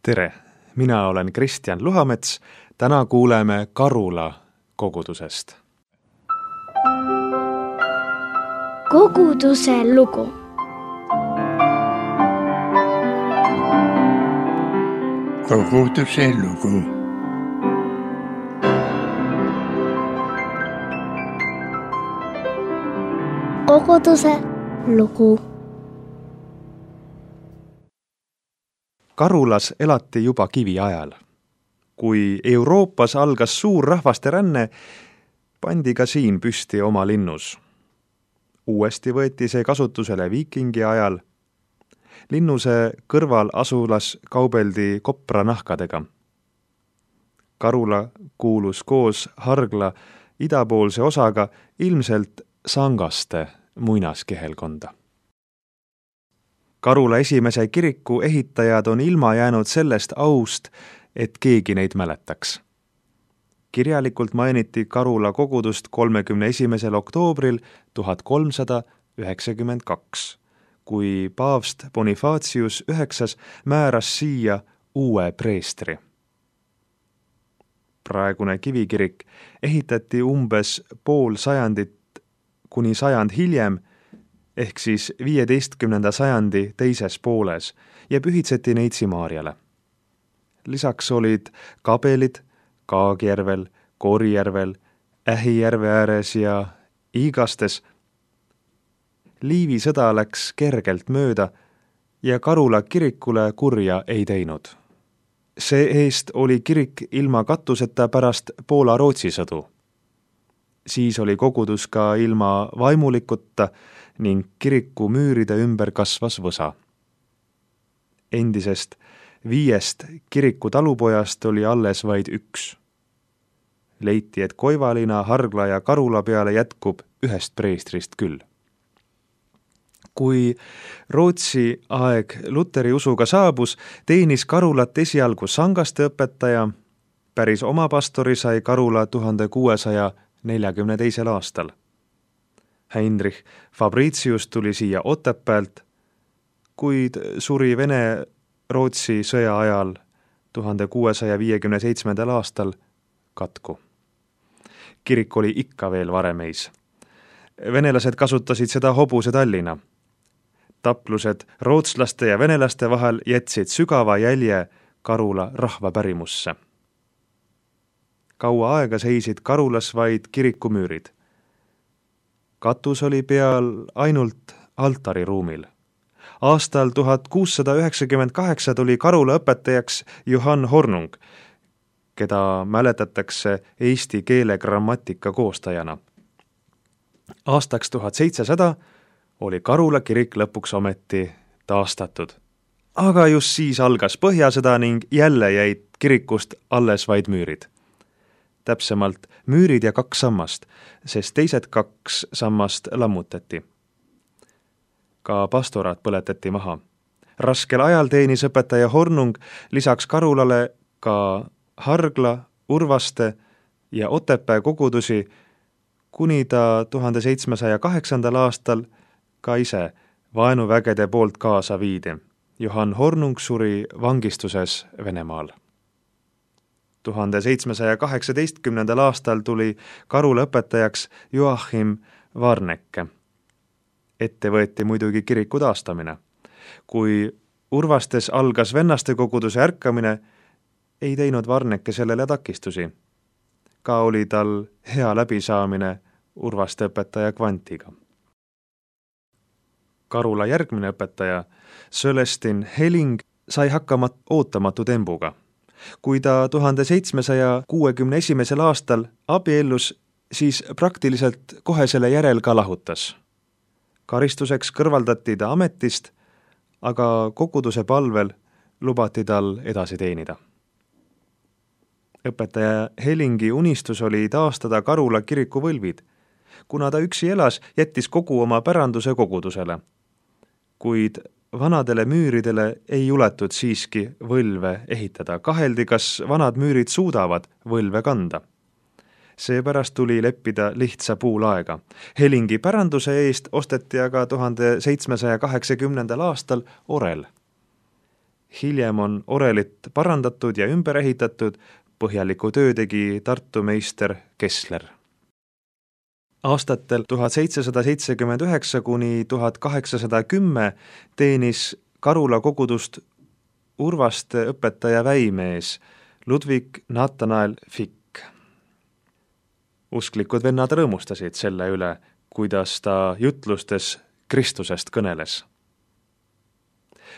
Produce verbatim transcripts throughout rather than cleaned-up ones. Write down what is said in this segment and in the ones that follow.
Tere, mina olen Kristjan Luhamets. Täna kuuleme Karula kogudusest. Koguduse lugu. Koguduse lugu. Koguduse lugu. Karulas elati juba kiviajal. Kui Euroopas algas suur rahvaste ränne, pandi ka siin püsti oma linnus. Uuesti võeti see kasutusele viikingi ajal. Linnuse kõrval asulas kaubeldi kopranahkadega. Karula kuulus koos Hargla idapoolse osaga ilmselt Sangaste muinaskehelkonda. Karula esimese kiriku ehitajad on ilma jäänud sellest aust, et keegi neid mäletaks. Kirjalikult mainiti Karula kogudust kolmekümne esimesel oktoobril tuhat kolmsada üheksakümmend kaks, kui paavst Bonifacius üheksas määras siia uue preestri. Praegune kivikirik ehitati umbes pool sajandit kuni sajand hiljem, ehk siis viieteistkümnenda sajandi teises pooles ja pühitseti Neitsi Maarjale. Lisaks olid kabelid Kaagjärvel, Korijärvel, Ähijärve ääres ja Iigastes. Liivi sõda läks kergelt mööda ja Karula kirikule kurja ei teinud. See eest oli kirik ilma katuseta pärast Poola-Rootsi sõdu. Siis oli kogudus ka ilma vaimulikuta ning kiriku müüride ümber kasvas võsa. Endisest viiest kiriku talupojast oli alles vaid üks. Leiti, et Koivalina, Hargla ja Karula peale jätkub ühest preestrist küll. Kui Rootsi aeg Luteri usuga saabus, teenis Karulat esialgu Sangaste õpetaja, päris oma pastori sai Karula tuhande kuuesaja neljakümne teisel aastal. Heinrich Fabricius tuli siia Otepäält, kuid suri Vene-Rootsi sõja ajal tuhande kuuesaja viiekümne seitsmendal aastal katku. Kirik oli ikka veel varemeis. Venelased kasutasid seda hobuse Tallina. Taplused rootslaste ja venelaste vahel jätsid sügava jälje Karula rahvapärimusse. Kaua aega seisid Karulas vaid kirikumüürid. Katus oli peal ainult altariruumil. Aastal tuhat kuussada üheksakümmend kaheksa tuli Karula õpetajaks Johann Hornung, keda mäletatakse eesti keele grammatika koostajana. Aastaks tuhat seitsesada oli Karula kirik lõpuks ometi taastatud. Aga just siis algas Põhjasõda ning jälle jäid kirikust alles vaid müürid. Täpsemalt müürid ja kaks sammast, sest teised kaks sammast lammutati. Ka pastoraat põletati maha. Raskel ajal teenis õpetaja Hornung lisaks Karulale ka Hargla, Urvaste ja Otepää kogudusi, kuni ta tuhande seitsmesaja kaheksandal aastal ka ise vaenuvägede poolt kaasa viidi. Johann Hornung suri vangistuses Venemaal. tuhande seitsmesaja kaheksateistkümnendal aastal tuli Karula õpetajaks Joachim Varnecke. Ette võeti muidugi kiriku taastamine. Kui Urvastes algas vennaste koguduse ärkamine, ei teinud Varnecke sellele takistusi. Ka oli tal hea läbisaamine Urvaste õpetaja Kvantiga. Karula järgmine õpetaja, Sölestin Heling, sai hakkama ootamatu tembuga. Kui ta tuhande seitsmesaja kuuekümne esimesel aastal abiellus, siis praktiliselt kohe selle järel ka lahutas. Karistuseks kõrvaldati ta ametist, aga koguduse palvel lubati tal edasi teenida. Õpetaja Helingi unistus oli taastada Karula kiriku võlvid. Kuna ta üksi elas, jättis kogu oma päranduse kogudusele. Kuid vanadele müüridele ei juletud siiski võlve ehitada. Kaheldi, kas vanad müürid suudavad võlve kanda. Seepärast tuli leppida lihtsa puulaega. Helingi päranduse eest osteti aga tuhande seitsmesaja kaheksakümnendal aastal orel. hiljem on orelit parandatud ja ümber ehitatud, põhjaliku töö tegi Tartu meister Kessler. Aastatel tuhat seitsesada seitsekümmend üheksa kuni tuhat kaheksasada kümme teenis Karula kogudust Urvaste õpetaja väimees Ludwig Nathanael Fick. Usklikud vennad rõõmustasid selle üle, kuidas ta jutlustes Kristusest kõneles.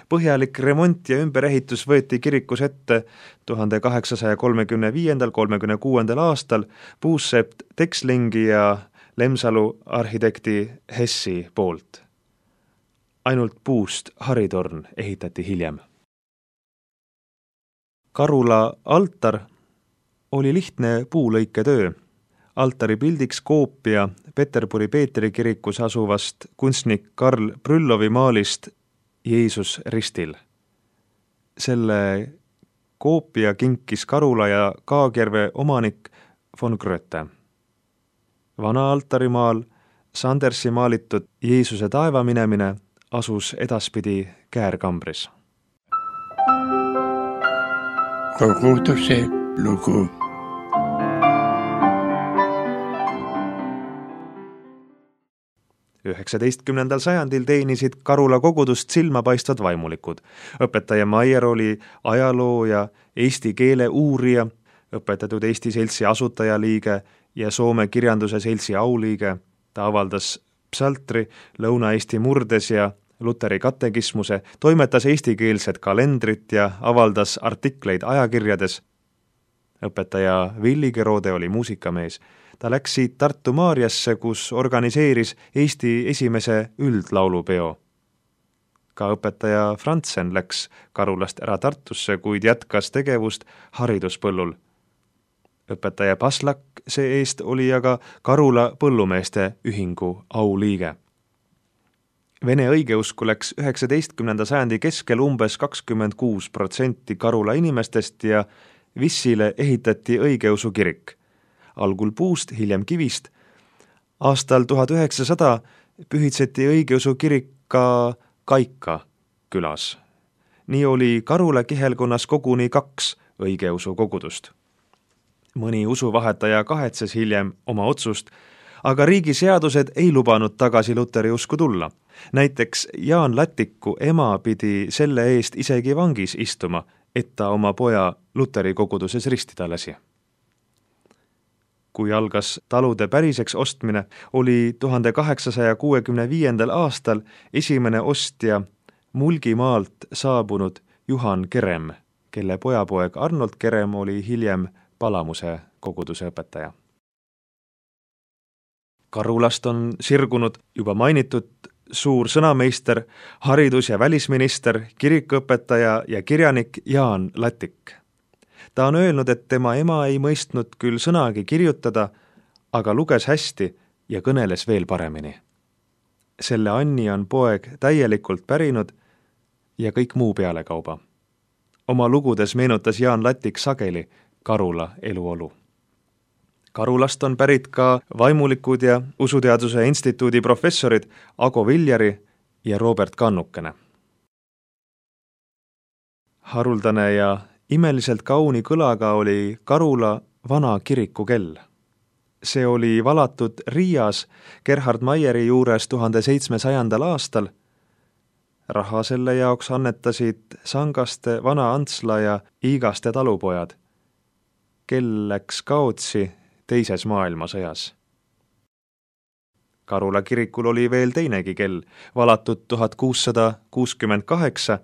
Põhjalik remont ja ümberehitus võeti kirikus ette tuhande kaheksasaja kolmekümne viiendal kolmekümne kuuendal aastal Puusepp Texlingi ja Lemsalu arhitekti Hessi poolt. Ainult puust haritorn ehitati hiljem. Karula altar oli lihtne puulõiketöö. Altari pildiks koopia Peterburi Peetri kirikus asuvast kunstnik Karl Brüllovi maalist Jeesus ristil. Selle koopia kinkis Karula ja Kaagjerve omanik von Gröte. Vana altarimaal Sandersi maalitud Jeesuse taeva minemine asus edaspidi käärkambris. Koguduse lugu. üheksateistkümnendal sajandil teenisid Karula kogudust silmapaistvad vaimulikud. Õpetaja Maier oli ajaloo ja eesti keele uurija, õpetatud Eesti Seltsi asutajaliige ja Soome kirjanduse seltsi auliige. Ta avaldas psaltri Lõuna-Eesti murdes ja Luteri katekismuse, toimetas eestikeelset kalendrit ja avaldas artikleid ajakirjades. Õpetaja Villi Kerode oli muusikamees. Ta läks siit Tartu Maarjasse, kus organiseeris Eesti esimese üldlaulupeo. Ka õpetaja Frantsen läks Karulast ära Tartusse, kuid jätkas tegevust hariduspõllul. Õpetaja Paslak see-eest oli aga Karula põllumeeste ühingu auliige. Vene õigeusku läks üheksateistkümnenda sajandi keskel umbes kakskümmend kuus protsenti Karula inimestest ja Vissile ehitati õigeusu kirik. Algul puust, hiljem kivist. Aastal tuhat üheksasada pühitseti õigeusu kirik ka Kaika külas. Nii oli Karula kihelkonnas koguni kaks õigeusu kogudust. Mõni usuvahetaja kahetses hiljem oma otsust, aga riigi seadused ei lubanud tagasi Luteri usku tulla. Näiteks Jaan Lätiku ema pidi selle eest isegi vangis istuma, et ta oma poja Luteri koguduses ristida lasi. Kui algas talude päriseks ostmine, oli tuhande kaheksasaja kuuekümne viiendal aastal esimene ostja Mulgimaalt saabunud Juhan Kerem, kelle pojapoeg Arnold Kerem oli hiljem Palamuse koguduse õpetaja. Karulast on sirgunud juba mainitud suur sõnameister, haridus- ja välisminister, kirikuõpetaja ja kirjanik Jaan Lätik. Ta on öelnud, et tema ema ei mõistnud küll sõnagi kirjutada, aga luges hästi ja kõneles veel paremini. Selle Anni on poeg täielikult pärinud ja kõik muu pealekauba. Oma lugudes meenutas Jaan Lätik sageli Karula eluolu. Karulast on pärit ka vaimulikud ja usuteaduse instituudi professorid Ago Viljari ja Robert Kannukene. Haruldane ja imeliselt kauni kõlaga oli Karula vana kirikukell. See oli valatud Riias Gerhard Maieri juures tuhande seitsmesajandal aastal. Raha selle jaoks annetasid Sangaste, Vana Antsla ja Iigaste talupojad. Kell läks kaotsi teises maailmasõjas. Karula kirikul oli veel teinegi kell, valatud tuhat kuussada kuuskümmend kaheksa.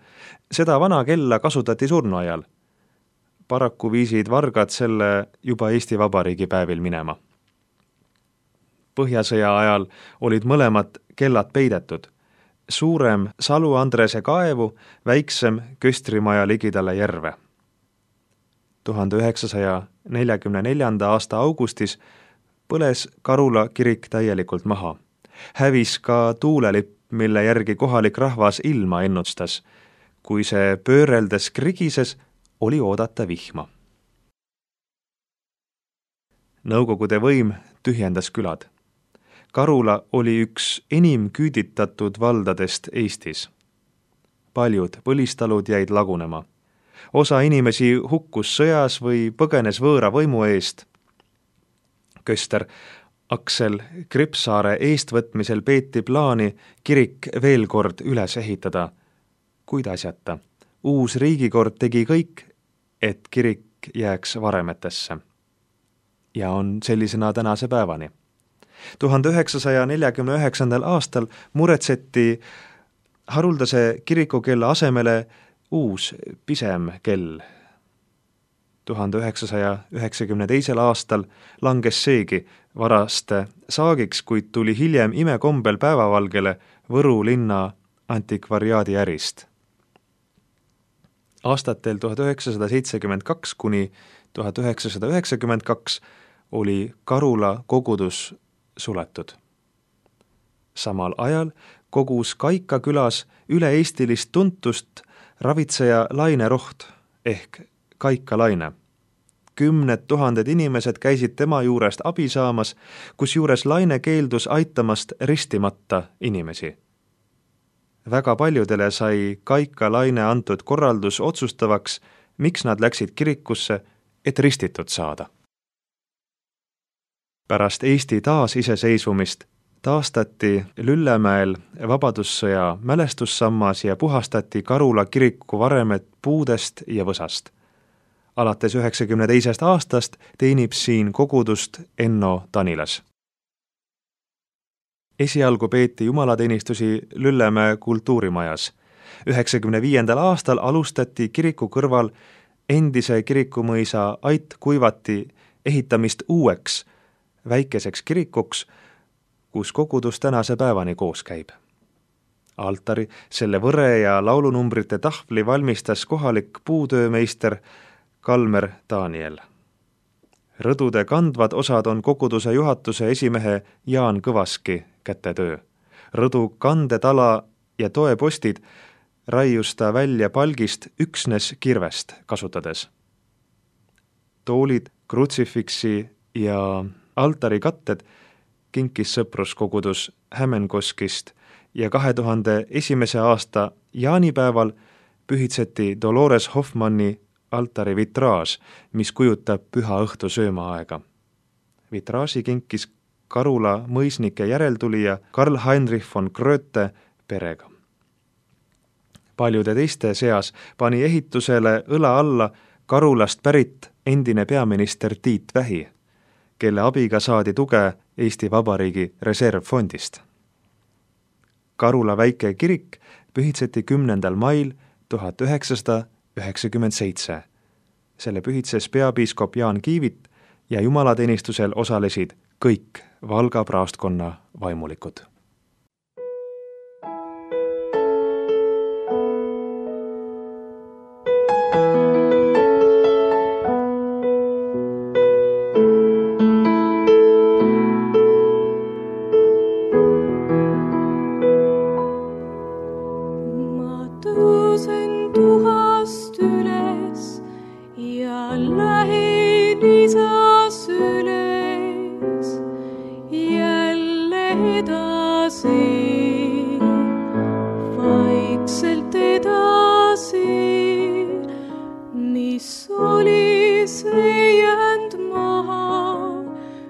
Seda vana kella kasutati surnuajal. Paraku viisid vargad selle juba Eesti Vabariigi päevil minema. Põhjasõja ajal olid mõlemad kellad peidetud. Suurem Salu Andrese kaevu, väiksem Köstrimaja ligidale järve. tuhande üheksasaja neljakümne neljanda aasta augustis põles Karula kirik täielikult maha. Hävis ka tuulelipp, mille järgi kohalik rahvas ilma ennustas. Kui see pööreldes krigises, oli oodata vihma. Nõukogude võim tühjendas külad. Karula oli üks enim küüditatud valdadest Eestis. paljud põlistalud jäid lagunema. Osa inimesi hukkus sõjas või põgenes võõra võimu eest. Köster Aksel Kripsaare eestvõtmisel peeti plaani kirik veel kord üles ehitada. Kuid asjata. Uus riigikord tegi kõik, et kirik jääks varemetesse. Ja on sellisena tänase päevani. tuhande üheksasaja neljakümne üheksandal aastal muretseti haruldase kirikukella asemele uus pisem kell. tuhande üheksasaja üheksakümne teisel aastal langes seegi varaste saagiks, kuid tuli hiljem imekombel päevavalgele Võru linna antikvariaadi ärist. Aastatel tuhat üheksasada seitsekümmend kaks kuni tuhat üheksasada üheksakümmend kaks oli Karula kogudus suletud. Samal ajal kogus Kaika külas üle-eestilist tuntust ravitseja Laine Roht ehk Kaika Laine. Kümned tuhanded inimesed käisid tema juurest abi saamas, kus juures Laine keeldus aitamast ristimata inimesi. Väga paljudele sai Kaika Laine antud korraldus otsustavaks, miks nad läksid kirikusse, et ristitud saada. Pärast Eesti taasiseseisvumist taastati Lüllemäel Vabadussõja mälestussammas ja puhastati Karula kiriku varemed puudest ja võsast. Alates üheksakümne teisest aastast teenib siin kogudust Enno Tanilas. Esialgu peeti jumalateenistusi Lüllemäe kultuurimajas. üheksakümne viiendal aastal alustati kiriku kõrval endise kirikumõisa Ait Kuivati ehitamist uueks, väikeseks kirikuks, kus kogudus tänase päevani koos käib. Altari, selle võre ja laulunumbrite tahvli valmistas kohalik puutöömeister Kalmer Daniel. Rõdude kandvad osad on koguduse juhatuse esimehe Jaan Kõvaski kätetöö. Rõdu kandetala ja toepostid raius ta välja palgist üksnes kirvest kasutades. Toolid, krutsifiksi ja altari katted kinkis sõpruskogudus Hämenkoskist ja kahe tuhande esimese aasta jaanipäeval pühitseti Dolores Hoffmanni altari vitraaž, mis kujutab püha õhtu söömaaega. Vitraaži kinkis Karula mõisnike järeltulija Karl Heinrich von Gröte perega. Paljude teiste seas pani ehitusele õla alla Karulast pärit endine peaminister Tiit Vähi, kelle abiga saadi tuge Eesti Vabariigi reservfondist. Karula väike kirik pühitseti kümnendal mail tuhat üheksasada üheksakümmend seitse. Selle pühitses peapiiskop Jaan Kiivit ja jumalateenistusel osalesid kõik Valga praostkonna vaimulikud. Vaikselt edasi, mis oli see jäänud maha,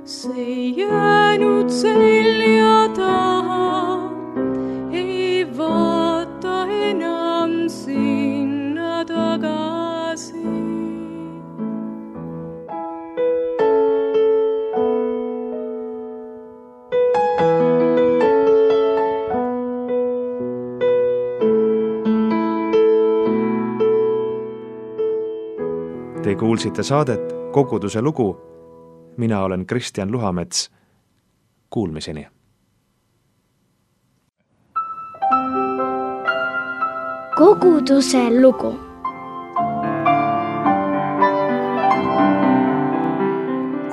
see jäänud selja taha, ei vaata enam sinna tagasi. Te kuulsite saadet Koguduse lugu. Mina olen Kristjan Luhamets. Kuulmiseni. Koguduse lugu.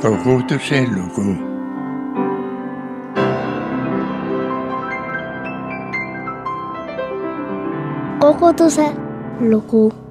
Koguduse lugu. Koguduse lugu.